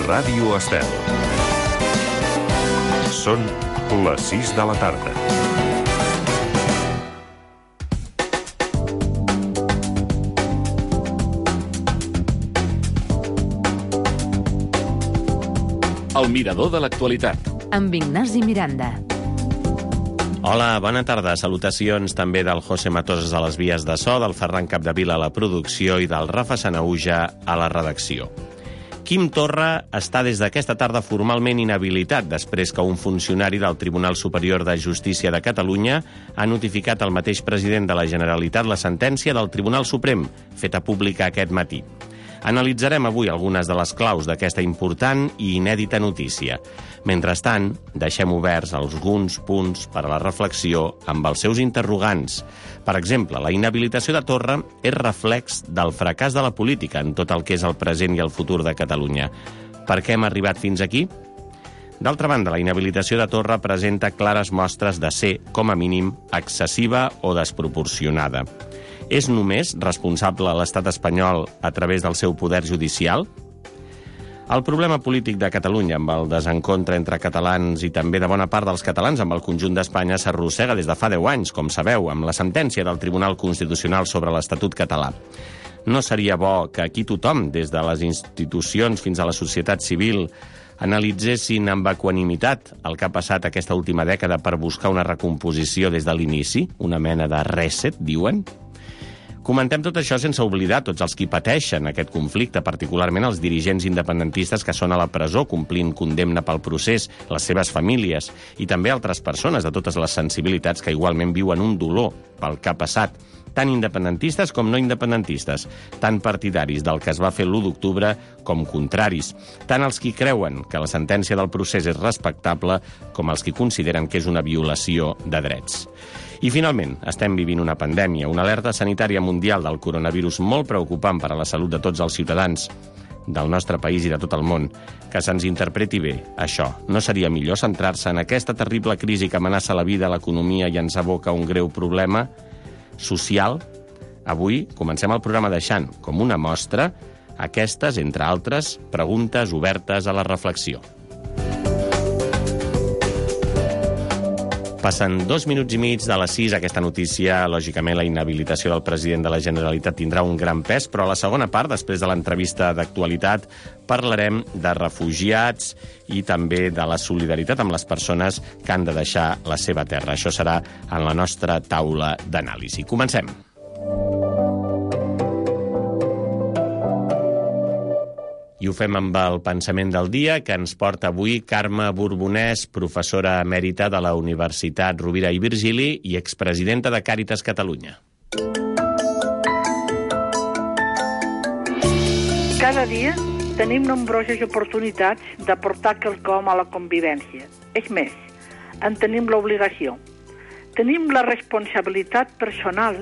Ràdio Estel. Són les 6 de la tarda. El mirador de l'actualitat. Amb Ignasi Miranda. Hola, bona tarda. Salutacions també del José Matoses a les vies de so, del Ferran Capdevila a la producció i del Rafa Sanauja a la redacció. Quim Torra està des d'aquesta tarda formalment inhabilitat després que un funcionari del Tribunal Superior de Justícia de Catalunya ha notificat al mateix president de la Generalitat la sentència del Tribunal Suprem, feta pública aquest matí. Analitzarem avui algunes de les claus d'aquesta important i inèdita notícia. Mentrestant, deixem oberts alguns punts per a la reflexió amb els seus interrogants. Per exemple, la inhabilitació de Torra és reflex del fracàs de la política en tot el que és el present i el futur de Catalunya. Per què hem arribat fins aquí? D'altra banda, la inhabilitació de Torra presenta clares mostres de ser, com a mínim, excessiva o desproporcionada. És només responsable l'estat espanyol a través del seu poder judicial? El problema polític de Catalunya amb el desencontre entre catalans i també de bona part dels catalans amb el conjunt d'Espanya s'arrossega des de fa 10 anys, com sabeu, amb la sentència del Tribunal Constitucional sobre l'Estatut català. No seria bo que aquí tothom, des de les institucions fins a la societat civil, analitzessin amb equanimitat el que ha passat aquesta última dècada per buscar una recomposició des de l'inici, una mena de reset, diuen? Comentem tot això sense oblidar tots els qui pateixen aquest conflicte, particularment els dirigents independentistes que són a la presó complint condemna pel procés, les seves famílies i també altres persones de totes les sensibilitats que igualment viuen un dolor pel que ha passat, tant independentistes com no independentistes, tant partidaris del que es va fer l'1 d'octubre com contraris, tant els qui creuen que la sentència del procés és respectable com els qui consideren que és una violació de drets. I finalment, estem vivint una pandèmia, una alerta sanitària mundial del coronavirus molt preocupant per a la salut de tots els ciutadans del nostre país i de tot el món. Que se'ns interpreti bé, això. No seria millor centrar-se en aquesta terrible crisi que amenaça la vida, l'economia i ens aboca un greu problema social? Avui comencem el programa deixant, com una mostra, aquestes, entre altres, preguntes obertes a la reflexió. Passen 2 minuts i mig de les 6. Aquesta notícia, lògicament, la inhabilitació del president de la Generalitat tindrà un gran pes, però a la segona part, després de l'entrevista d'actualitat, parlarem de refugiats i també de la solidaritat amb les persones que han de deixar la seva terra. Això serà en la nostra taula d'anàlisi. Comencem. I ho fem amb el pensament del dia que ens porta avui Carme Borbonès, professora emèrita de la Universitat Rovira i Virgili i expresidenta de Càritas Catalunya. Cada dia tenim nombroses oportunitats d'aportar quelcom a la convivència. És més, en tenim l'obligació. Tenim la responsabilitat personal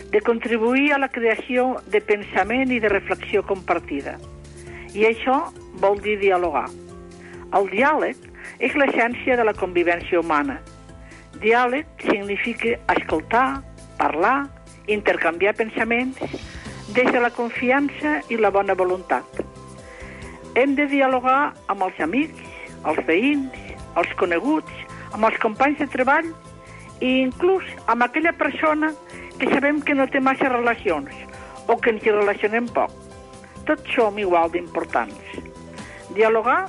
de contribuir a la creació de pensament i de reflexió compartida. I això vol dir dialogar. El diàleg és l'essència de la convivència humana. Diàleg significa escoltar, parlar, intercanviar pensaments des de la confiança i la bona voluntat. Hem de dialogar amb els amics, els veïns, els coneguts, amb els companys de treball i inclús amb aquella persona que sabem que no té massa relacions o que ens hi relacionem poc. Tots som igual d'importants. Dialogar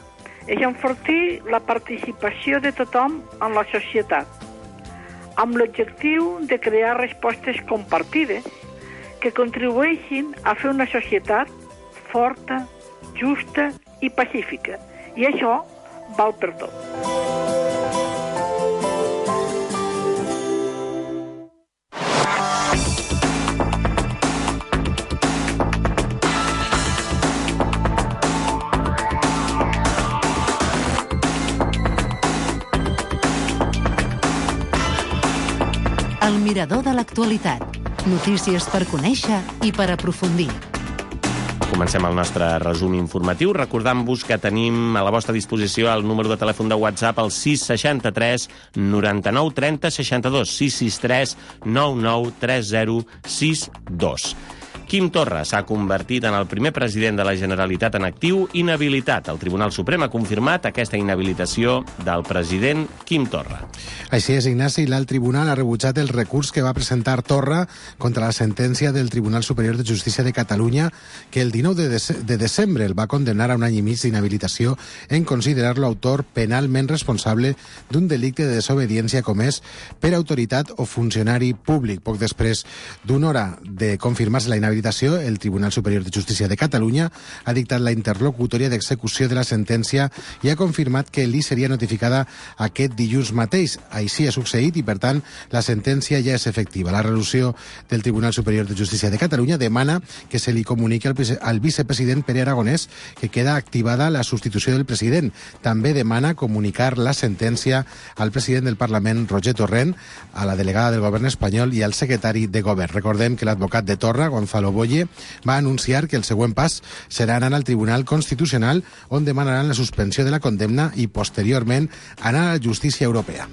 és enfortir la participació de tothom en la societat, amb l'objectiu de crear respostes compartides que contribueixin a fer una societat forta, justa i pacífica. I això val per tot. El mirador de l'actualitat. Notícies per conèixer i per aprofundir. Comencem el nostre resum informatiu recordant-vos que tenim a la vostra disposició el número de telèfon de WhatsApp al 663 99 30 62 663 99 30 62. Quim Torra s'ha convertit en el primer president de la Generalitat en actiu inhabilitat. El Tribunal Suprem ha confirmat aquesta inhabilitació del president Quim Torra. Així és, Ignasi, l'alt tribunal ha rebutjat el recurs que va presentar Torra contra la sentència del Tribunal Superior de Justícia de Catalunya, que el 19 de desembre el va condenar a un any i mig d'inhabilitació en considerar-lo autor penalment responsable d'un delicte de desobediència comès per autoritat o funcionari públic. Poc després d'una hora de confirmar-se la inhabilitació, el Tribunal Superior de Justícia de Catalunya ha dictat la interlocutòria d'execució de la sentència i ha confirmat que li seria notificada aquest dilluns mateix. Així ha succeït i, per tant, la sentència ja és efectiva. La resolució del Tribunal Superior de Justícia de Catalunya demana que se li comuniqui al vicepresident Pere Aragonès que queda activada la substitució del president. També demana comunicar la sentència al president del Parlament, Roger Torrent, a la delegada del govern espanyol i al secretari de govern. Recordem que l'advocat de Torra, Gonzalo Boye, va anunciar que el següent pas serà anar al Tribunal Constitucional, on demanaran la suspensió de la condemna i, posteriorment, anar a la justícia europea.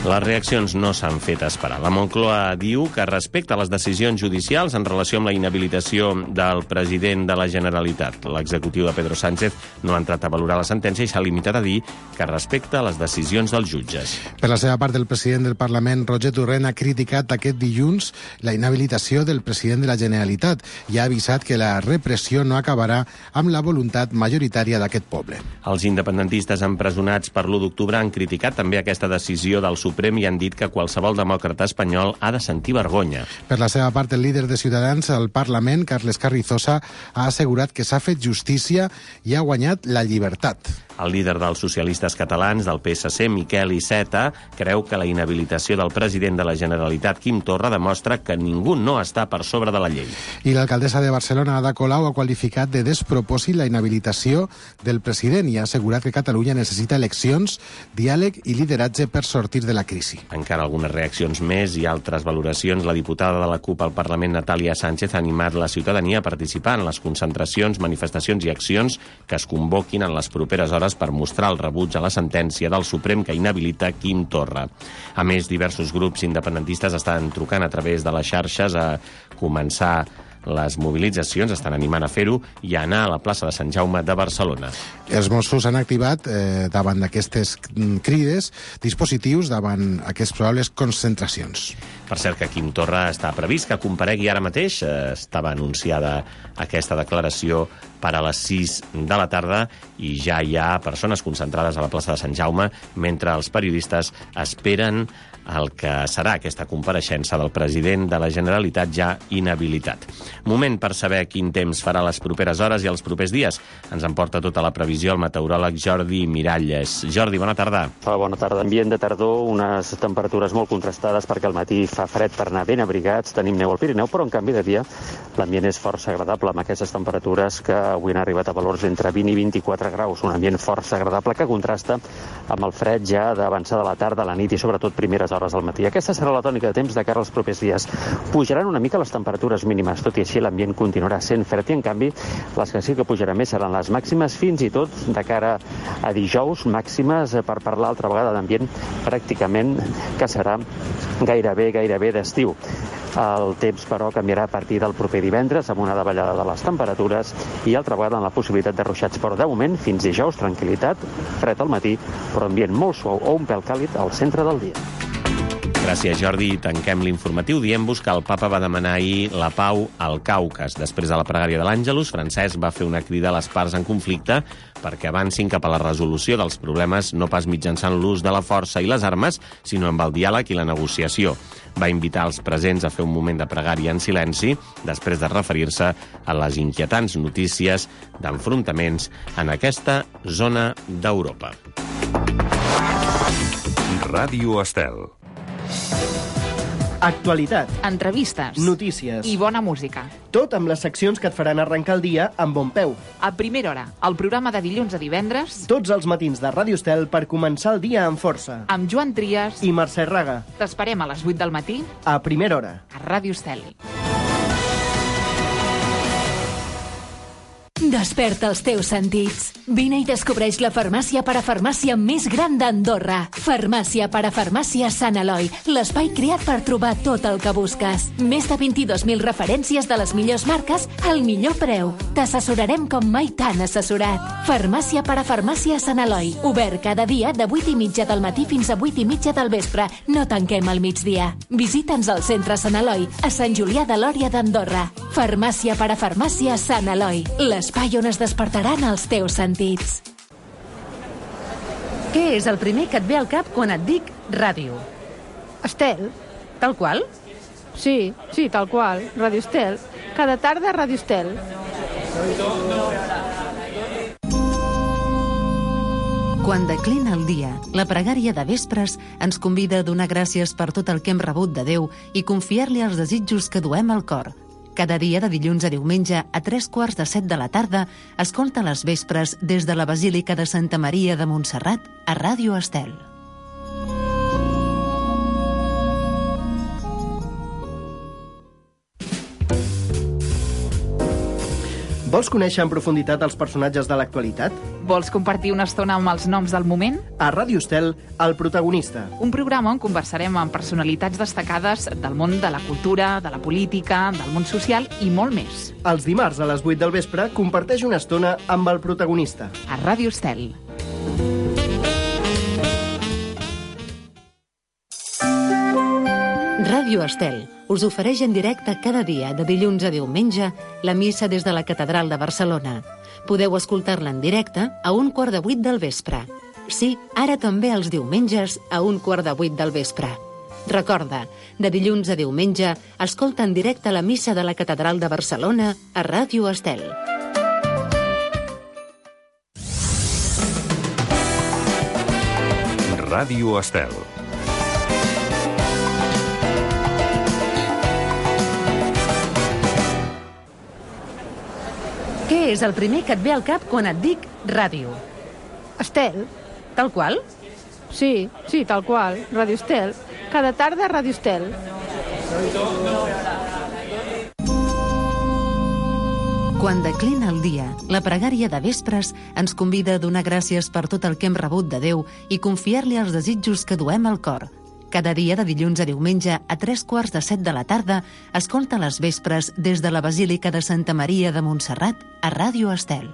Les reaccions no s'han fet esperar. La Moncloa diu que respecta les decisions judicials en relació amb la inhabilitació del president de la Generalitat. L'executiu de Pedro Sánchez no ha entrat a valorar la sentència i s'ha limitat a dir que respecta les decisions dels jutges. Per la seva part, el president del Parlament, Roger Torrent, ha criticat aquest dilluns la inhabilitació del president de la Generalitat i ha avisat que la repressió no acabarà amb la voluntat majoritària d'aquest poble. Els independentistes empresonats per l'1 d'octubre han criticat també aquesta decisió del Suprem i han dit que qualsevol demòcrata espanyol ha de sentir vergonya. Per la seva part, el líder de Ciutadans al Parlament, Carles Carrizosa, ha assegurat que s'ha fet justícia i ha guanyat la llibertat. El líder dels socialistes catalans, del PSC, Miquel Iceta, creu que la inhabilitació del president de la Generalitat, Quim Torra, demostra que ningú no està per sobre de la llei. I l'alcaldessa de Barcelona, Ada Colau, ha qualificat de despropòsit la inhabilitació del president i ha assegurat que Catalunya necessita eleccions, diàleg i lideratge per sortir de la crisi. Encara algunes reaccions més i altres valoracions. La diputada de la CUP al Parlament, Natàlia Sánchez, ha animat la ciutadania a participar en les concentracions, manifestacions i accions que es convoquin en les properes hores per mostrar el rebuig a la sentència del Suprem que inhabilita Quim Torra. A més, diversos grups independentistes estan trucant a través de les xarxes a començar les mobilitzacions, estan animant a fer-ho i a anar a la plaça de Sant Jaume de Barcelona. Els Mossos han activat, davant d'aquestes crides, dispositius davant aquestes probables concentracions. Per cert, que Quim Torra està previst que comparegui ara mateix. Estava anunciada aquesta declaració per a les 6 de la tarda i ja hi ha persones concentrades a la plaça de Sant Jaume mentre els periodistes esperen el que serà aquesta compareixença del president de la Generalitat ja inhabilitat. Moment per saber quin temps farà les properes hores i els propers dies. Ens en porta tota la previsió el meteoròleg Jordi Miralles. Jordi, bona tarda. Bona tarda. Ambient de tardor, unes temperatures molt contrastades perquè al matí fa fred per anar ben abrigats. Tenim neu al Pirineu, però en canvi de dia l'ambient és força agradable amb aquestes temperatures que avui han arribat a valors entre 20 i 24 graus. Un ambient força agradable que contrasta amb el fred ja d'avançar de la tarda a la nit i sobretot primeres hores del matí. Aquesta serà la tònica de temps de cara als propers dies. Pujaran una mica les temperatures mínimes, tot i així l'ambient continuarà sent fred i en canvi les que sí que pujaran més seran les màximes, fins i tot de cara a dijous, màximes per parlar altra vegada d'ambient pràcticament que serà gairebé d'estiu. El temps, però, canviarà a partir del proper divendres amb una davallada de les temperatures i altra vegada amb la possibilitat de ruixats. Però de moment, fins dijous, tranquil·litat, fred al matí, però ambient molt suau o un pèl càlid al centre del dia. Gràcies, Jordi. Tanquem l'informatiu dient-vos que el papa va demanar ahir la pau al Caucas. Després de la pregària de l'Àngelus, Francesc va fer una crida a les parts en conflicte perquè avancin cap a la resolució dels problemes no pas mitjançant l'ús de la força i les armes, sinó amb el diàleg i la negociació. Va invitar els presents a fer un moment de pregària en silenci després de referir-se a les inquietants notícies d'enfrontaments en aquesta zona d'Europa. Ràdio Estel. Actualitat, entrevistes, notícies i bona música. Tot amb les seccions que et faran arrencar el dia amb bon peu. A primera hora, el programa de dilluns a divendres, Tots els matins de Ràdio Estel per començar el dia amb força. amb Joan Trias. I Mercè Raga, T'esperem a les 8 del matí a primera hora. a Ràdio Estel. Desperta els teus sentits. Vine i descobreix la farmàcia parafarmàcia més gran d'Andorra. Farmàcia parafarmàcia Sant Eloi, l'espai creat per trobar tot el que busques. Més de 22.000 referències de les millors marques al millor preu. T'assessorarem com mai t'han assessorat. Farmàcia parafarmàcia Sant Eloi, obert cada dia de 8:30 del matí fins a 8:30 del vespre. No tanquem al migdia. Visita'ns al centre Sant Eloi, a Sant Julià de Lòria d'Andorra. Farmàcia parafarmàcia Sant Eloi, l'espai on es despertaran els teus sentits. Què és el primer que et ve al cap quan et dic ràdio? Estel. Tal qual? Sí, tal qual. Ràdio Estel. Cada tarda Ràdio Estel. Quan declina el dia, la pregària de vespres ens convida a donar gràcies per tot el que hem rebut de Déu i confiar-li els desitjos que duem al cor. Cada dia de dilluns a diumenge a 6:45 de la tarda escolta les vespres des de la Basílica de Santa Maria de Montserrat a Ràdio Estel. Vols conèixer en profunditat els personatges de l'actualitat? Vols compartir una estona amb els noms del moment? A Ràdio Estel, El protagonista. Un programa on conversarem amb personalitats destacades del món de la cultura, de la política, del món social i molt més. Els dimarts a les 8 del vespre comparteix una estona amb El protagonista. A Ràdio Estel. Ràdio Estel us ofereix en directe cada dia, de dilluns a diumenge, la missa des de la Catedral de Barcelona. Podeu escoltar-la en directe a 7:15 del vespre. Sí, ara també els diumenges a 7:15 del vespre. Recorda, de dilluns a diumenge, escolta en directe la missa de la Catedral de Barcelona a Ràdio Estel. Ràdio Estel. Què és el primer que et ve al cap quan et dic ràdio? Estel. Tal qual? Sí, tal qual. Ràdio Estel. Cada tarda Ràdio Estel. Quan declina el dia, la pregària de vespres ens convida a donar gràcies per tot el que hem rebut de Déu i confiar-li els desitjos que duem al cor. Cada dia de dilluns a diumenge a 6:45 de la tarda escolta les vespres des de la Basílica de Santa Maria de Montserrat a Ràdio Estel.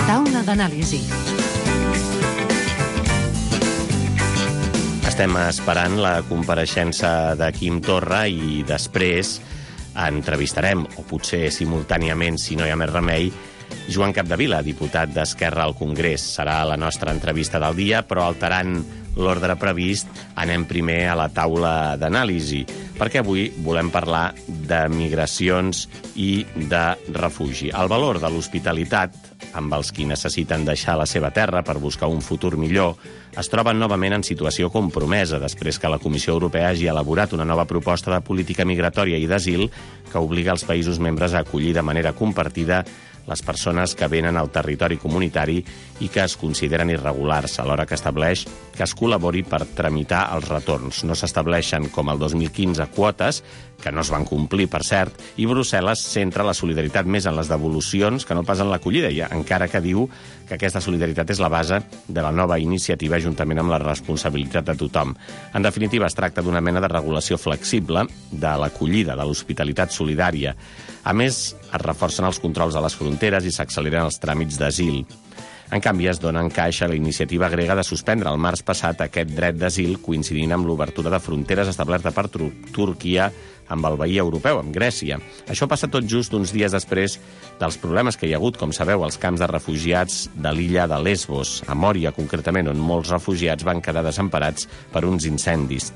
Taula d'anàlisi. Estem esperant la compareixença de Quim Torra i després entrevistarem, o potser simultàniament, si no hi ha més remei, Joan Capdevila, diputat d'Esquerra al Congrés. Serà la nostra entrevista del dia, però alterant l'ordre previst, anem primer a la taula d'anàlisi, perquè avui volem parlar de migracions i de refugi. El valor de l'hospitalitat, amb els qui necessiten deixar la seva terra per buscar un futur millor, es troben novament en situació compromesa després que la Comissió Europea hagi elaborat una nova proposta de política migratòria i d'asil que obliga els països membres a acollir de manera compartida les persones que venen al territori comunitari i que es consideren irregulars, alhora que estableix que es col·labori per tramitar els retorns. No s'estableixen, com el 2015, quotes, que no es van complir, per cert, i Brussel·les centra la solidaritat més en les devolucions que no pas en l'acollida, encara que diu que aquesta solidaritat és la base de la nova iniciativa juntament amb la responsabilitat de tothom. En definitiva, es tracta d'una mena de regulació flexible de l'acollida, de l'hospitalitat solidària. A més, es reforcen els controls a les fronteres i s'acceleren els tràmits d'asil. En canvi, es dona encaix a la iniciativa grega de suspendre el març passat aquest dret d'asil coincidint amb l'obertura de fronteres establerta per Turquia amb el veí europeu, amb Grècia. Això passa tot just uns dies després dels problemes que hi ha hagut, com sabeu, als camps de refugiats de l'illa de Lesbos, a Mòria concretament, on molts refugiats van quedar desemparats per uns incendis.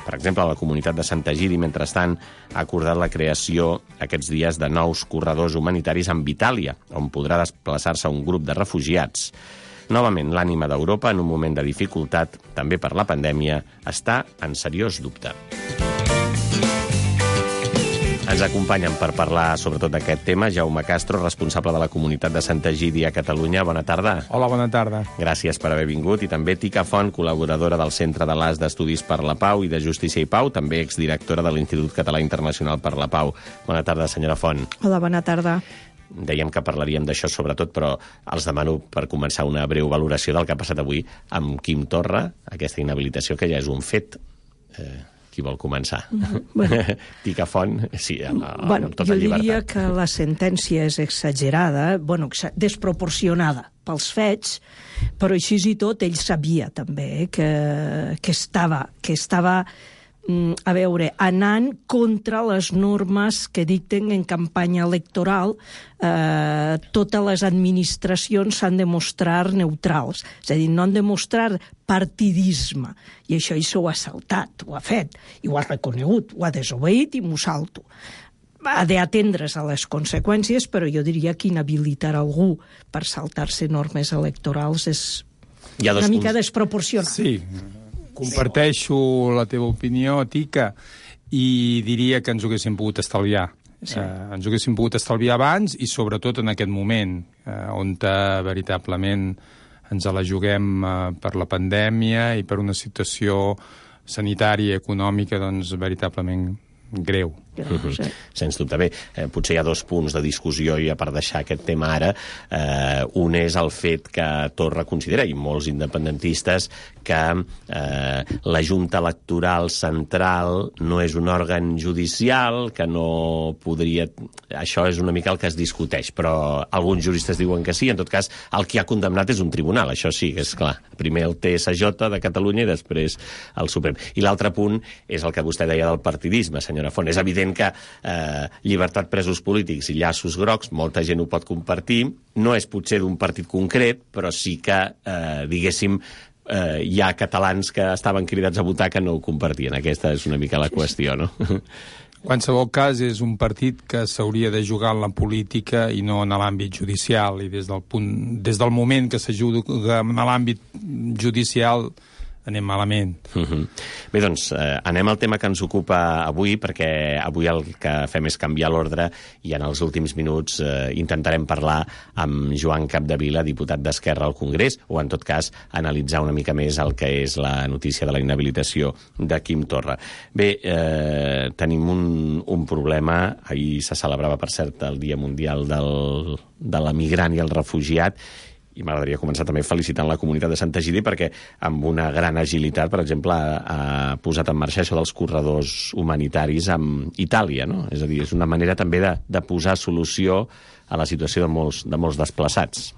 Per exemple, la comunitat de Sant Egidi, mentrestant, ha acordat la creació aquests dies de nous corredors humanitaris amb Itàlia, on podrà desplaçar-se un grup de refugiats. Novament, l'ànima d'Europa, en un moment de dificultat, també per la pandèmia, està en seriós dubte. Ens acompanyen per parlar sobretot d'aquest tema Jaume Castro, responsable de la comunitat de Sant Egidi a Catalunya. Bona tarda. Hola, bona tarda. Gràcies per haver vingut. I també Tica Font, col·laboradora del Centre de l'AS d'Estudis per la Pau i de Justícia i Pau, també exdirectora de l'Institut Català Internacional per la Pau. Bona tarda, senyora Font. Hola, bona tarda. Dèiem que parlaríem d'això sobretot, però els demano per començar una breu valoració del que ha passat avui amb Quim Torra, aquesta inhabilitació que ja és un fet. Qui vol començar? Bueno. Tica Font, sí, amb tota jo llibertat. diria que la sentència és exagerada, desproporcionada pels fets, però així i tot ell sabia també que estava a veure, anant contra les normes que dicten en campanya electoral. Totes les administracions s'han de mostrar neutrals, és a dir, no han de mostrar partidisme, i això ell s'ho ha saltat, ho ha fet, i ho ha reconegut, ho ha desobeït i m'ho salto. Ha d'atendre's a les conseqüències, però jo diria que inhabilitar algú per saltar-se normes electorals és una mica desproporcionat. Sí, comparteixo la teva opinió, Tica, i diria que ens ho haguéssim pogut estalviar. Sí. Ens ho haguéssim pogut estalviar abans i sobretot en aquest moment, on veritablement ens la juguem per la pandèmia i per una situació sanitària i econòmica doncs veritablement greu. Sí. Sens dubte. Bé, potser hi ha dos punts de discussió i per deixar aquest tema ara. Un és el fet que Torra considera, i molts independentistes, que la Junta Electoral Central no és un òrgan judicial, que no podria... Això és una mica el que es discuteix, però alguns juristes diuen que sí. En tot cas, el que ha condemnat és un tribunal, això sí, és clar. Primer el TSJ de Catalunya i després el Suprem. I l'altre punt és el que vostè deia del partidisme, senyora Font. És evident que llibertat presos polítics i llaços grocs, molta gent ho pot compartir, no és potser d'un partit concret, però sí que, diguéssim, hi ha catalans que estaven cridats a votar que no ho compartien. Aquesta és una mica la qüestió, no? En qualsevol cas, és un partit que s'hauria de jugar en la política i no en l'àmbit judicial, i des del moment que se juga en l'àmbit judicial anem malament. Bé, doncs, anem al tema que ens ocupa avui, perquè avui el que fem és canviar l'ordre i en els últims minuts intentarem parlar amb Joan Capdevila, diputat d'Esquerra al Congrés, o en tot cas analitzar una mica més el que és la notícia de la inhabilitació de Quim Torra. Bé, tenim un problema. Ahir se celebrava, per cert, el Dia Mundial de l'Emigrant i el Refugiat, i m'agradaria començar també felicitant la comunitat de Sant Egidi perquè amb una gran agilitat, per exemple, ha posat en marxa això dels corredors humanitaris amb Itàlia, no? És a dir, és una manera també de posar solució a la situació de molts desplaçats.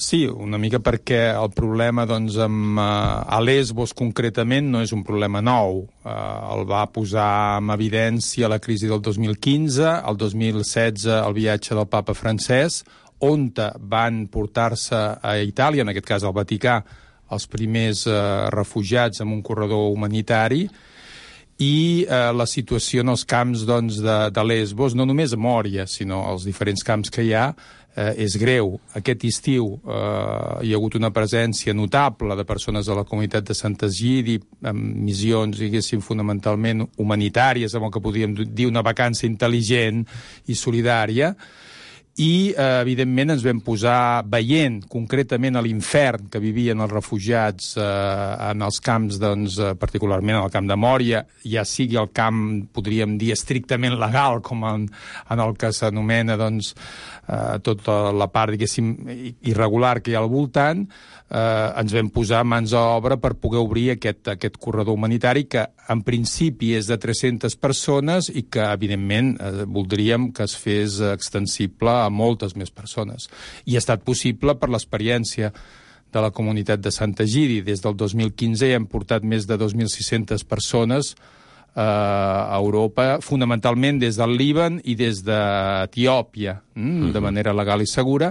Sí, una mica perquè el problema doncs, a Lesbos concretament no és un problema nou. El va posar en evidència la crisi del 2015, el 2016 el viatge del papa francès, on van portar-se a Itàlia, en aquest cas al Vaticà, els primers refugiats en un corredor humanitari, i la situació en els camps doncs, de Lesbos, no només a Mòria, sinó als diferents camps que hi ha, és greu. Aquest estiu hi ha hagut una presència notable de persones de la comunitat de Sant Egidi, amb missions, diguéssim, fonamentalment humanitàries, amb el que podríem dir una vacança intel·ligent i solidària, i, evidentment, ens vam posar veient concretament a l'infern que vivien els refugiats en els camps, doncs, particularment en el camp de Mòria, ja sigui el camp, podríem dir, estrictament legal, com en el que s'anomena, doncs, tota la part, diguéssim, irregular que hi ha al voltant. Ens vam posar mans a obra per poder obrir aquest corredor humanitari que en principi és de 300 persones i que evidentment voldríem que es fes extensible a moltes més persones. I ha estat possible per l'experiència de la comunitat de Sant Egidi. Des del 2015 ja hem portat més de 2.600 persones a Europa, fonamentalment des del Líban i des d'Etiòpia, de manera legal i segura.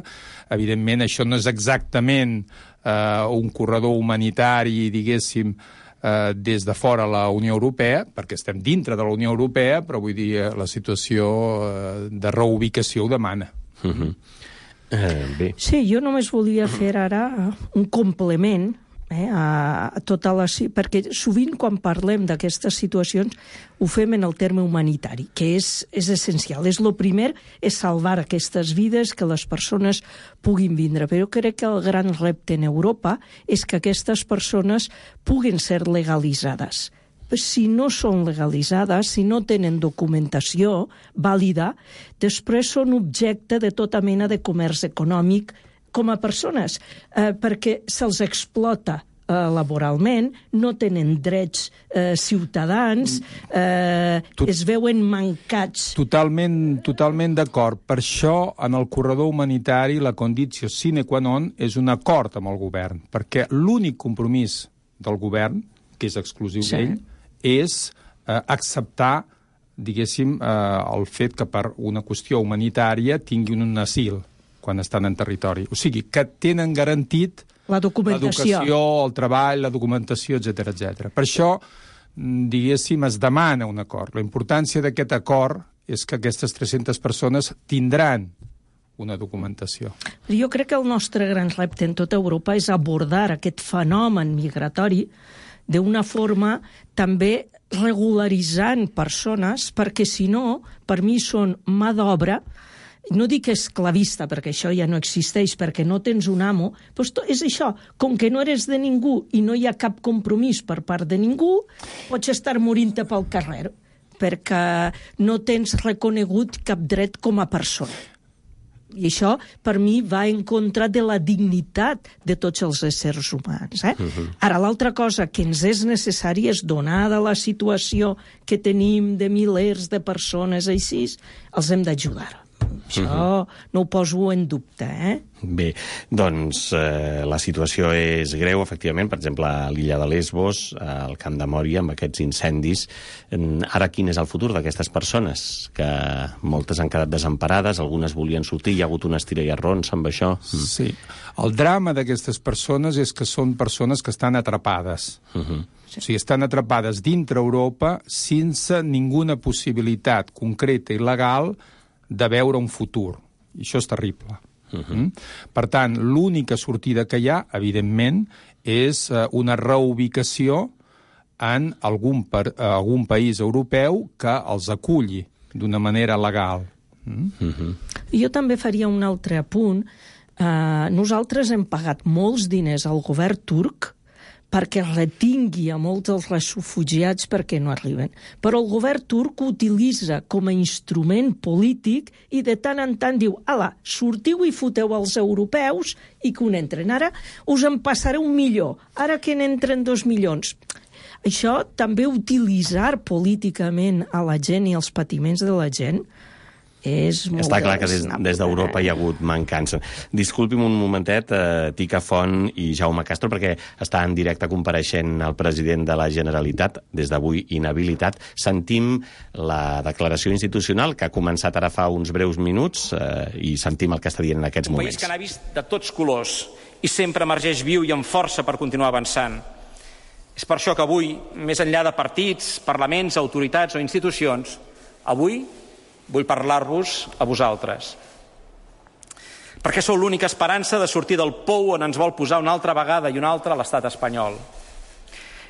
Evidentment, això no és exactament un corredor humanitari, diguéssim, des de fora la Unió Europea, perquè estem dintre de la Unió Europea, però vull dir, la situació de reubicació ho demana. Bé. Sí, jo només volia fer ara un complement a tota la... Perquè sovint quan parlem d'aquestes situacions ho fem en el terme humanitari, que és essencial. El primer és salvar aquestes vides, que les persones puguin vindre. Però jo crec que el gran repte en Europa és que aquestes persones puguen ser legalitzades. Si no són legalitzades, si no tenen documentació vàlida, després són objecte de tota mena de comerç econòmic com a persones, perquè se'ls explota laboralment, no tenen drets ciutadans, es veuen mancats. Totalment d'acord. Per això, en el corredor humanitari, la condició sine qua non és un acord amb el govern, perquè l'únic compromís del govern, que és exclusiu d'ell, és acceptar, diguéssim, el fet que per una qüestió humanitària tinguin un asil quan estan en territori. O sigui, que tenen garantit l'educació, el treball, la documentació, etc. Per això, diguéssim, es demana un acord. La importància d'aquest acord és que aquestes 300 persones tindran una documentació. Jo crec que el nostre gran repte en tota Europa és abordar aquest fenomen migratori d'una forma també regularitzant persones, perquè si no, per mi són mà d'obra, no dic esclavista, perquè això ja no existeix, perquè no tens un amo, doncs és això, com que no eres de ningú i no hi ha cap compromís per part de ningú, pots estar morint-te pel carrer, perquè no tens reconegut cap dret com a persona. I això, per mi, va en contra de la dignitat de tots els éssers humans. Ara, l'altra cosa que ens és necessari és, donada la situació que tenim de milers de persones així, els hem d'ajudar. Això no ho poso en dubte, Bé, doncs la situació és greu, efectivament, per exemple, a l'illa de Lesbos, al Camp de Mòria, amb aquests incendis. Ara, quin és el futur d'aquestes persones? Que moltes han quedat desemparades, algunes volien sortir, hi ha hagut un estira i arrons amb això. Sí. El drama d'aquestes persones és que són persones que estan atrapades. O sigui, estan atrapades dintre Europa sense ninguna possibilitat concreta i legal de veure un futur. I això és terrible. Per tant, l'única sortida que hi ha, evidentment, és una reubicació en algun país europeu que els aculli d'una manera legal. Jo també faria un altre apunt. Nosaltres hem pagat molts diners al govern turc perquè retingui a molts dels refugiats perquè no arriben. Però el govern turc ho utilitza com a instrument polític i de tant en tant diu: ala, sortiu i foteu els europeus i que n'entren. Ara us en passareu 1 milió, ara que n'entren 2 milions. Això també, utilitzar políticament a la gent i els patiments de la gent, és molt... Està clar que des d'Europa hi ha hagut mancança. Disculpi'm un momentet, Tica Font i Jaume Castro, perquè està en directe compareixent el president de la Generalitat, des d'avui inhabilitat. Sentim la declaració institucional, que ha començat ara fa uns breus minuts, i sentim el que està dient en aquests moments. Un país que n'ha vist de tots colors i sempre emergeix viu i amb força per continuar avançant. És per això que avui, més enllà de partits, parlaments, autoritats o institucions, avui vull parlar-vos a vosaltres. Perquè sou l'única esperança de sortir del pou on ens vol posar una altra vegada i una altra l'estat espanyol.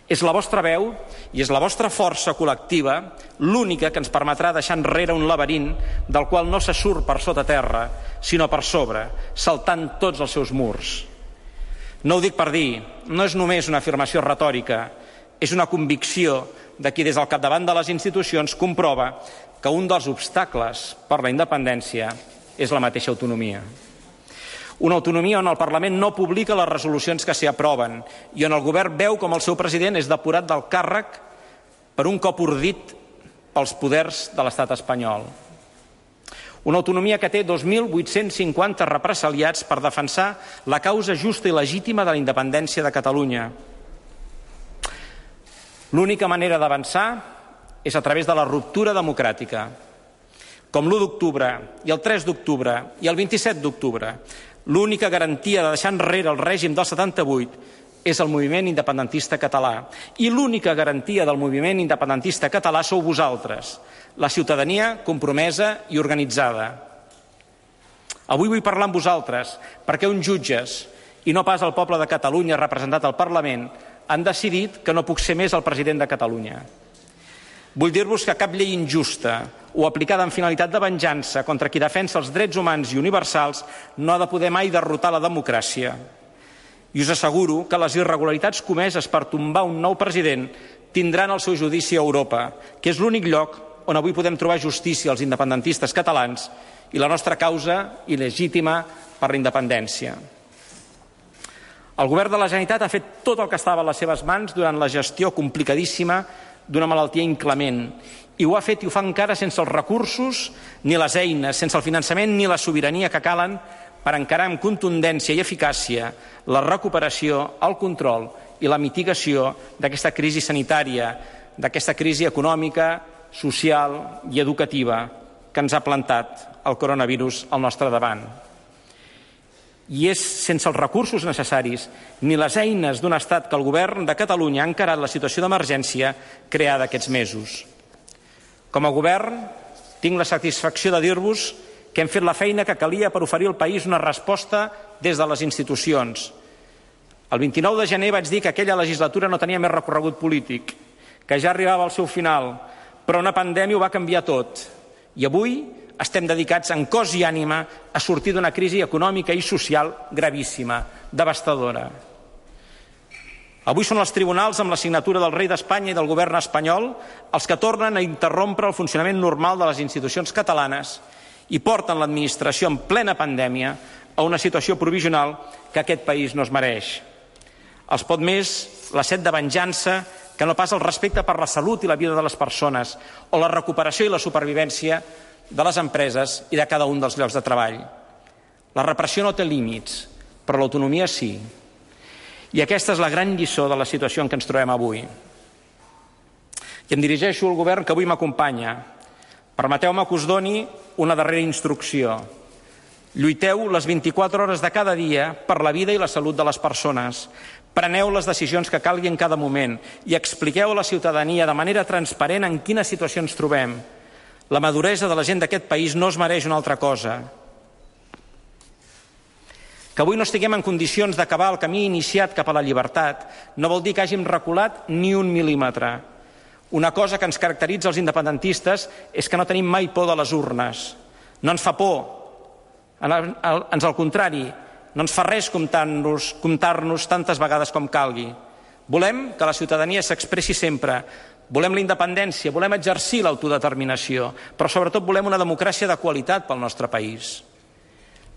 És la vostra veu i és la vostra força col·lectiva l'única que ens permetrà deixar enrere un laberint del qual no se surt per sota terra, sinó per sobre, saltant tots els seus murs. No ho dic per dir, no és només una afirmació retòrica, és una convicció de qui des del capdavant de les institucions comprova que un dels obstacles per la independència és la mateixa autonomia. Una autonomia on el Parlament no publica les resolucions que s'hi aproven i on el govern veu com el seu president és depurat del càrrec per un cop ordit pels poders de l'estat espanyol. Una autonomia que té 2.850 represaliats per defensar la causa justa i legítima de la independència de Catalunya. L'única manera d'avançar és a través de la ruptura democràtica. Com l'1 d'octubre i el 3 d'octubre i el 27 d'octubre, l'única garantia de deixar enrere el règim del 78 és el moviment independentista català. I l'única garantia del moviment independentista català sou vosaltres, la ciutadania compromesa i organitzada. Avui vull parlar amb vosaltres perquè uns jutges, i no pas el poble de Catalunya representat al Parlament, han decidit que no puc ser més el president de Catalunya. Vull dir-vos que cap llei injusta o aplicada amb finalitat de venjança contra qui defensa els drets humans i universals no ha de poder mai derrotar la democràcia. I us asseguro que les irregularitats comeses per tombar un nou president tindran el seu judici a Europa, que és l'únic lloc on avui podem trobar justícia als independentistes catalans i la nostra causa il·legítima per la independència. El govern de la Generalitat ha fet tot el que estava a les seves mans durant la gestió complicadíssima d'una malaltia inclement, i ho ha fet i ho fa encara sense els recursos ni les eines, sense el finançament ni la sobirania que calen per encarar amb contundència i eficàcia la recuperació, el control i la mitigació d'aquesta crisi sanitària, d'aquesta crisi econòmica, social i educativa que ens ha plantat el coronavirus al nostre davant. I és sense els recursos necessaris ni les eines d'un estat que el govern de Catalunya ha encarat la situació d'emergència creada aquests mesos. Com a govern, tinc la satisfacció de dir-vos que hem fet la feina que calia per oferir al país una resposta des de les institucions. El 29 de gener vaig dir que aquella legislatura no tenia més recorregut polític, que ja arribava al seu final, però una pandèmia ho va canviar tot. I avui estem dedicats en cos i ànima a sortir d'una crisi econòmica i social gravíssima, devastadora. Avui són els tribunals, amb la signatura del rei d'Espanya i del govern espanyol, els que tornen a interrompre el funcionament normal de les institucions catalanes i porten l'administració en plena pandèmia a una situació provisional que aquest país no es mereix. Els pot més la set de venjança que no pas el respecte per la salut i la vida de les persones o la recuperació i la supervivència de les empreses i de cada un dels llocs de treball. La repressió no té límits, però l'autonomia sí. I aquesta és la gran lliçó de la situació en què ens trobem avui. I em dirigeixo al govern que avui m'acompanya. Permeteu-me que us doni una darrera instrucció. Lluiteu les 24 hores de cada dia per la vida i la salut de les persones. Preneu les decisions que calgui en cada moment i expliqueu a la ciutadania de manera transparent en quina situació ens trobem. La maduresa de la gent d'aquest país no es mereix una altra cosa. Que avui no estiguem en condicions d'acabar el camí iniciat cap a la llibertat no vol dir que hàgim reculat ni un mil·límetre. Una cosa que ens caracteritza els independentistes és que no tenim mai por de les urnes. No ens fa por. Ans al contrari, no ens fa res comptar-nos tantes vegades com calgui. Volem que la ciutadania s'expressi sempre. Volem la independència, volem exercir l'autodeterminació, però sobretot volem una democràcia de qualitat pel nostre país.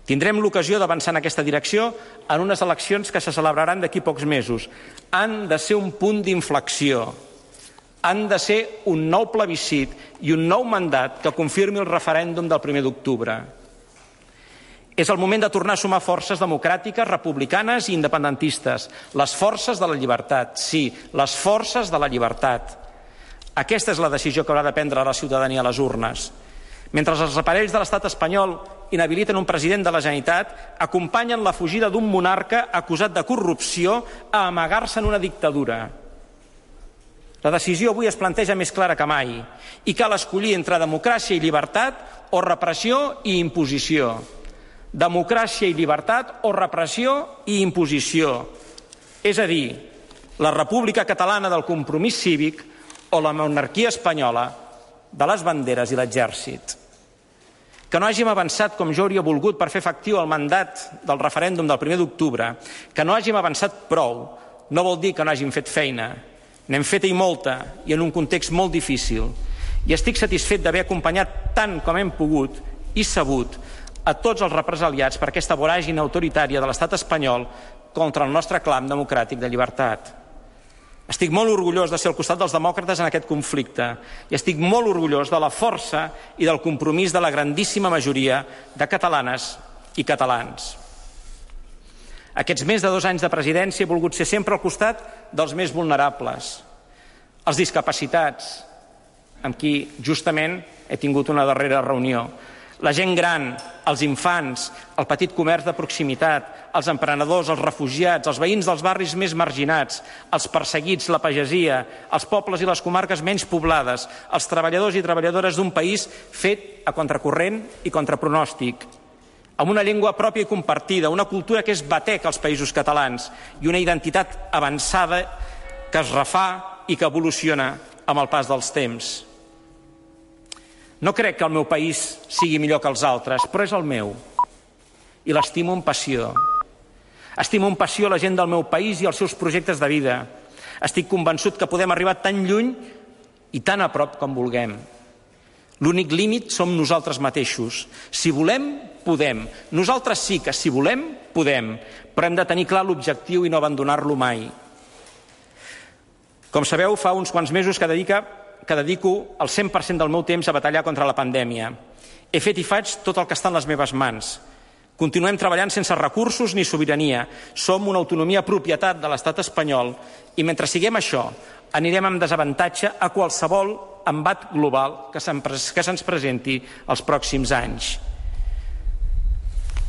Tindrem l'ocasió d'avançar en aquesta direcció en unes eleccions que se celebraran d'aquí pocs mesos. Han de ser un punt d'inflexió. Han de ser un nou plebiscit i un nou mandat que confirmi el referèndum del 1 d'octubre. És el moment de tornar a sumar forces democràtiques, republicanes i independentistes. Les forces de la llibertat, sí, les forces de la llibertat. Aquesta és la decisió que haurà de prendre la ciutadania a les urnes. Mentre els aparells de l'estat espanyol inhabiliten un president de la Generalitat, acompanyen la fugida d'un monarca acusat de corrupció a amagar-se en una dictadura. La decisió avui es planteja més clara que mai i cal escollir entre democràcia i llibertat o repressió i imposició. Democràcia i llibertat o repressió i imposició. És a dir, la República Catalana del compromís cívic o la monarquia espanyola de les banderes i l'exèrcit. Que no hàgim avançat com jo hauria volgut per fer efectiu el mandat del referèndum del 1 d'octubre, que no hàgim avançat prou, no vol dir que no hàgim fet feina. N'hem fet i molta, i en un context molt difícil. I estic satisfet d'haver acompanyat tant com hem pogut i sabut a tots els represaliats per aquesta voràgine autoritària de l'estat espanyol contra el nostre clam democràtic de llibertat. Estic molt orgullós de ser al costat dels demòcrates en aquest conflicte i estic molt orgullós de la força i del compromís de la grandíssima majoria de catalanes i catalans. Aquests més de 2 anys de presidència he volgut ser sempre al costat dels més vulnerables, els discapacitats, amb qui justament he tingut una darrera reunió, la gent gran, els infants, el petit comerç de proximitat, els emprenedors, els refugiats, els veïns dels barris més marginats, els perseguits, la pagesia, els pobles i les comarques menys poblades, els treballadors i treballadores d'un país fet a contracorrent i contra pronòstic. amb una llengua pròpia i compartida, una cultura que és batec als països catalans i una identitat avançada que es refà i que evoluciona amb el pas dels temps. No crec que el meu país sigui millor que els altres, però és el meu i l'estimo amb passió. Estimo amb passió la gent del meu país i els seus projectes de vida. Estic convençut que podem arribar tan lluny i tan a prop com vulguem. L'únic límit som nosaltres mateixos. Si volem, podem. Nosaltres sí que, si volem, podem, però hem de tenir clar l'objectiu i no abandonar-lo mai. Com sabeu, fa uns quants mesos que dedico el 100% del meu temps a batallar contra la pandèmia. He fet i faig tot el que està en les meves mans. Continuem treballant sense recursos ni sobirania. Som una autonomia propietat de l'estat espanyol i mentre siguem això, anirem amb desavantatge a qualsevol embat global que se'ns presenti els pròxims anys.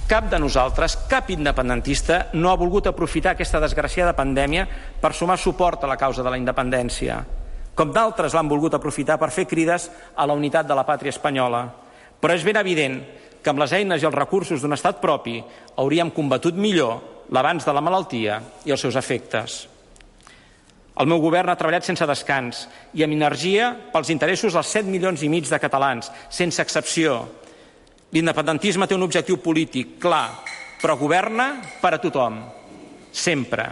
Cap de nosaltres, cap independentista, no ha volgut aprofitar aquesta desgraciada pandèmia per sumar suport a la causa de la independència, com d'altres l'han volgut aprofitar per fer crides a la unitat de la pàtria espanyola. Però és ben evident que amb les eines i els recursos d'un estat propi hauríem combatut millor l'avanç de la malaltia i els seus efectes. El meu govern ha treballat sense descans i amb energia pels interessos dels 7,5 milions de catalans, sense excepció. L'independentisme té un objectiu polític clar, però governa per a tothom, sempre.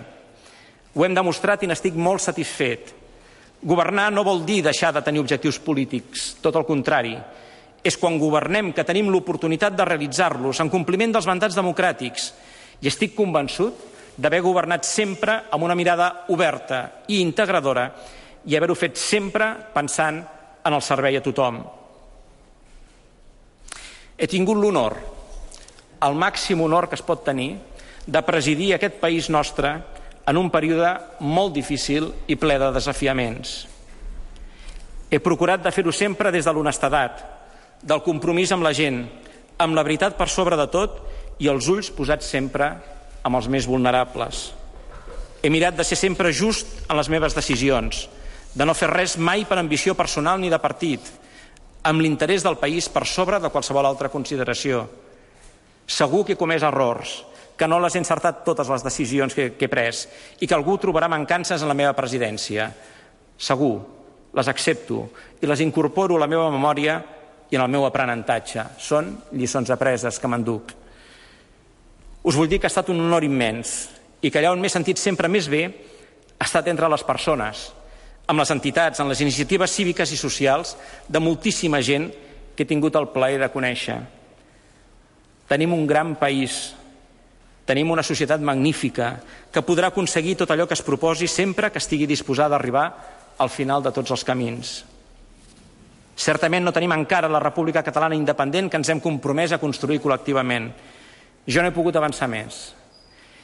Ho hem demostrat i n'estic molt satisfet. Governar no vol dir deixar de tenir objectius polítics, tot el contrari. És quan governem que tenim l'oportunitat de realitzar-los en compliment dels mandats democràtics. I estic convençut d'haver governat sempre amb una mirada oberta i integradora i haver-ho fet sempre pensant en el servei a tothom. He tingut l'honor, el màxim honor que es pot tenir, de presidir aquest país nostre en un període molt difícil i ple de desafiaments. He procurat de fer-ho sempre des de l'honestedat, del compromís amb la gent, amb la veritat per sobre de tot i els ulls posats sempre amb els més vulnerables. He mirat de ser sempre just en les meves decisions, de no fer res mai per ambició personal ni de partit, amb l'interès del país per sobre de qualsevol altra consideració. Segur que he comès errors, que no les he encertat totes les decisions que he pres i que algú trobarà mancances en la meva presidència. Segur, les accepto i les incorporo a la meva memòria i en el meu aprenentatge. Són lliçons apreses que m'enduc. Us vull dir que ha estat un honor immens i que allà on m'he sentit sempre més bé ha estat entre les persones, amb les entitats, en les iniciatives cíviques i socials de moltíssima gent que he tingut el plaer de conèixer. Tenim un gran país, tenim una societat magnífica que podrà aconseguir tot allò que es proposi sempre que estigui disposada a arribar al final de tots els camins. Certament no tenim encara la República Catalana independent que ens hem compromès a construir col·lectivament. Jo no he pogut avançar més.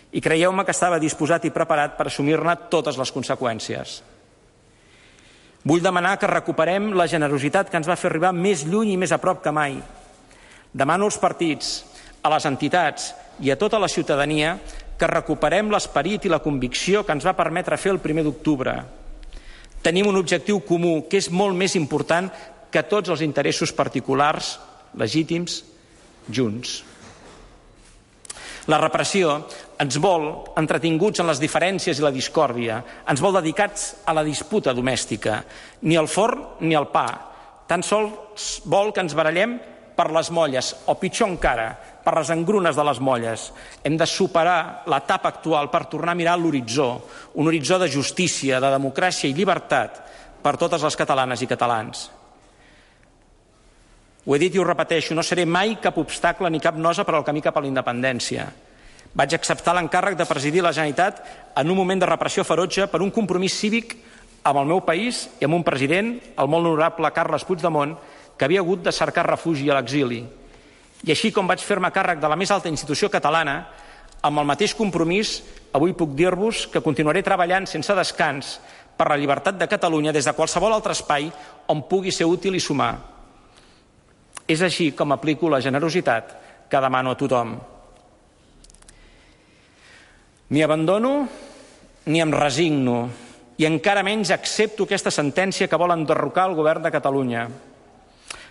I creieu-me que estava disposat i preparat per assumir-ne totes les conseqüències. Vull demanar que recuperem la generositat que ens va fer arribar més lluny i més a prop que mai. Demano als partits, a les entitats i a tota la ciutadania que recuperem l'esperit i la convicció que ens va permetre fer el 1 d'octubre. Tenim un objectiu comú que és molt més important que tots els interessos particulars legítims junts. La repressió ens vol entretinguts en les diferències i la discòrdia, ens vol dedicats a la disputa domèstica, ni al forn ni al pa. Tan sols vol que ens barallem per les molles, o pitjor encara, per les engrunes de les molles. Hem de superar l'etapa actual per tornar a mirar l'horitzó, un horitzó de justícia, de democràcia i llibertat per totes les catalanes i catalans. Ho he dit i ho repeteixo, no seré mai cap obstacle ni cap nosa per al camí cap a la independència. Vaig acceptar l'encàrrec de presidir la Generalitat en un moment de repressió ferotge per un compromís cívic amb el meu país i amb un president, el molt honorable Carles Puigdemont, que havia hagut de cercar refugi a l'exili. I així com vaig fer-me càrrec de la més alta institució catalana, amb el mateix compromís, avui puc dir-vos que continuaré treballant sense descans per la llibertat de Catalunya des de qualsevol altre espai on pugui ser útil i sumar. És així com aplico la generositat que demano a tothom. Ni abandono ni em resigno i encara menys accepto aquesta sentència que vol enderrocar el govern de Catalunya.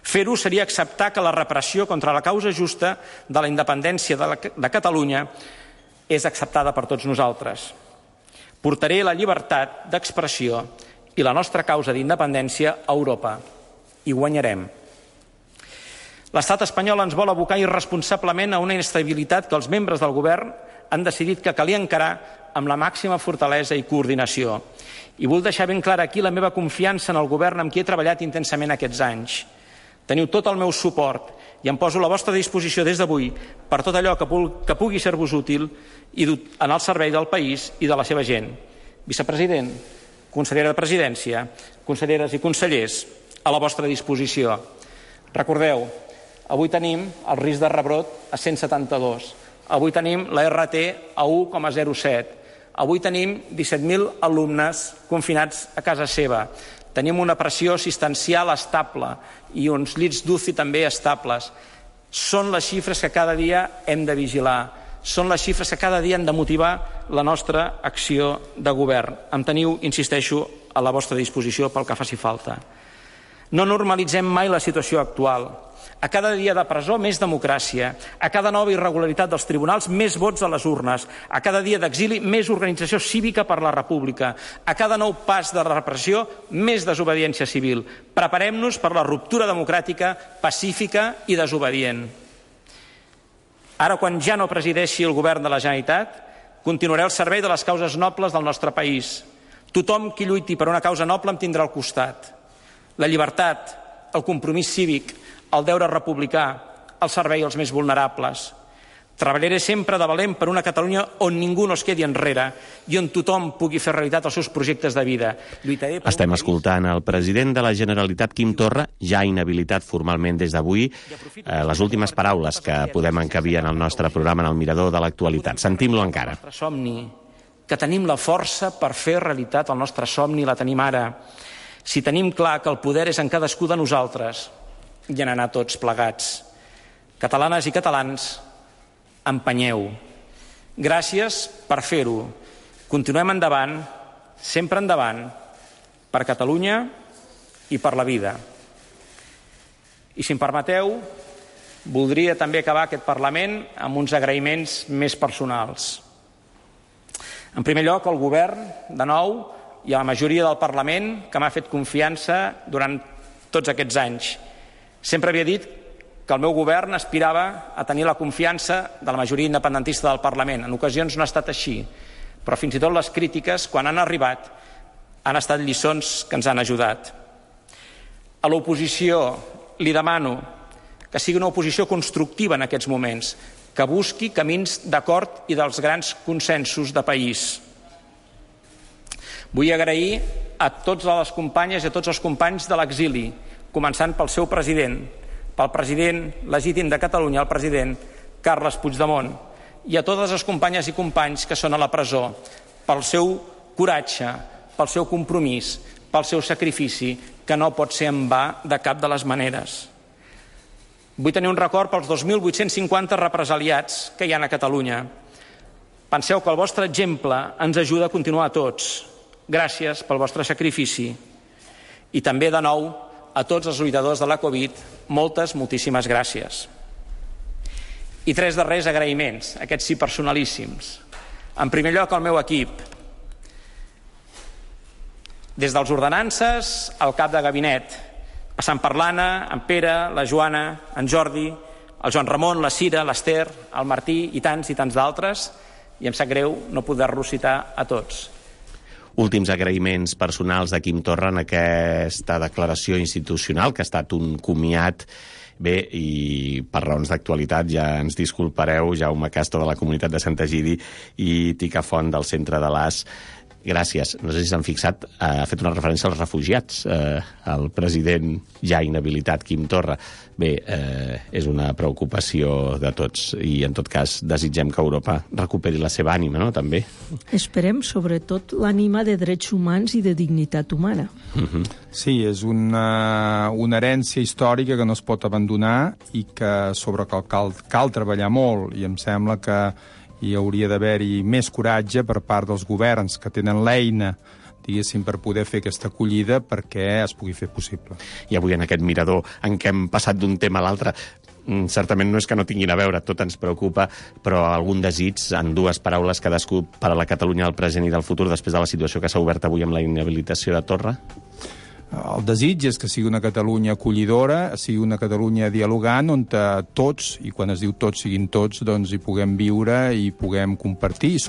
Fer-ho seria acceptar que la repressió contra la causa justa de la independència de Catalunya és acceptada per tots nosaltres. Portaré la llibertat d'expressió i la nostra causa d'independència a Europa. I guanyarem. L'estat espanyol ens vol abocar irresponsablement a una inestabilitat que els membres del govern han decidit que calia encarar amb la màxima fortalesa i coordinació. I vull deixar ben clara aquí la meva confiança en el govern amb qui he treballat intensament aquests anys. Teniu tot el meu suport i em poso a la vostra disposició des d'avui per tot allò que pugui ser-vos útil i en el servei del país i de la seva gent. Vicepresident, consellera de Presidència, conselleres i consellers, a la vostra disposició. Recordeu, avui tenim el risc de rebrot a 172. Avui tenim la RT a 1,07. Avui tenim 17.000 alumnes confinats a casa seva. Tenim una pressió assistencial estable i uns llits d'UCI també estables. Són les xifres que cada dia hem de vigilar. Són les xifres que cada dia han de motivar la nostra acció de govern. Em teniu, insisteixo, a la vostra disposició pel que faci falta. No normalitzem mai la situació actual. A cada dia de presó, més democràcia. A cada nova irregularitat dels tribunals, més vots a les urnes. A cada dia d'exili, més organització cívica per la República. A cada nou pas de repressió, més desobediència civil. Preparem-nos per la ruptura democràtica, pacífica i desobedient. Ara, quan ja no presideixi el govern de la Generalitat, continuaré al servei de les causes nobles del nostre país. Tothom qui lluiti per una causa noble em tindrà al costat. La llibertat, el compromís cívic, el deure republicà, el servei als més vulnerables. Treballaré sempre de valent per una Catalunya on ningú no es quedi enrere i on tothom pugui fer realitat els seus projectes de vida. Estem escoltant el president de la Generalitat, Quim Torra, ja inhabilitat formalment des d'avui, les últimes paraules que podem encabir en el nostre programa en el Mirador de l'Actualitat. Sentim-lo encara. Somni, que tenim la força per fer realitat el nostre somni, la tenim ara. Si tenim clar que el poder és en cadascú de nosaltres, i en anar tots plegats. Catalanes i catalans, empenyeu. Gràcies per fer-ho. Continuem endavant, sempre endavant, per Catalunya i per la vida. I si em permeteu, voldria també acabar aquest Parlament amb uns agraïments més personals. En primer lloc, al govern, de nou, i a la majoria del Parlament, que m'ha fet confiança durant tots aquests anys. Sempre havia dit que el meu govern aspirava a tenir la confiança de la majoria independentista del Parlament. En ocasions no ha estat així, però fins i tot les crítiques, quan han arribat, han estat lliçons que ens han ajudat. A l'oposició li demano que sigui una oposició constructiva en aquests moments, que busqui camins d'acord i dels grans consensos de país. Vull agrair a totes les companyes i a tots els companys de l'exili, començant pel seu president, pel president legítim de Catalunya, el president Carles Puigdemont, i a totes les companyes i companys que són a la presó, pel seu coratge, pel seu compromís, pel seu sacrifici, que no pot ser en va de cap de les maneres. Vull tenir un record pels 2.850 represaliats que hi ha a Catalunya. Penseu que el vostre exemple ens ajuda a continuar a tots. Gràcies pel vostre sacrifici. I també, de nou, a tots els lluitadors de la Covid, moltíssimes gràcies. I 3 darrers agraïments, aquests sí personalíssims. En primer lloc, al meu equip. Des dels ordenances al cap de gabinet, passant per l'Anna, en Pere, la Joana, en Jordi, el Joan Ramon, la Cira, l'Ester, el Martí i tants d'altres, i em sap greu no poder-los citar a tots. Últims agraïments personals de Quim Torra en aquesta declaració institucional, que ha estat un comiat. Bé, i per raons d'actualitat ja ens disculpareu, Jaume Castro de la Comunitat de Sant Egidi i Tica Font del Centre de l'AS. Gràcies. No sé si s'han fixat, ha fet una referència als refugiats, el president ja inhabilitat, Quim Torra. Bé, és una preocupació de tots i, en tot cas, desitgem que Europa recuperi la seva ànima, no?, també. Esperem, sobretot, l'ànima de drets humans i de dignitat humana. Sí, és una herència històrica que no es pot abandonar i que sobre cal treballar molt, i em sembla que hi hauria d'haver-hi més coratge per part dels governs que tenen l'eina diguéssim, per poder fer aquesta acollida perquè es pugui fer possible. I avui en aquest mirador en què hem passat d'un tema a l'altre, certament no és que no tinguin a veure, tot ens preocupa, però algun desig, en dues paraules cadascú, per a la Catalunya del present i del futur, després de la situació que s'ha obert avui amb la inhabilitació de Torra? El desig és que sigui una Catalunya acollidora, sigui una Catalunya dialogant, on tots, i quan es diu tots siguin tots, doncs hi puguem viure i puguem compartir, i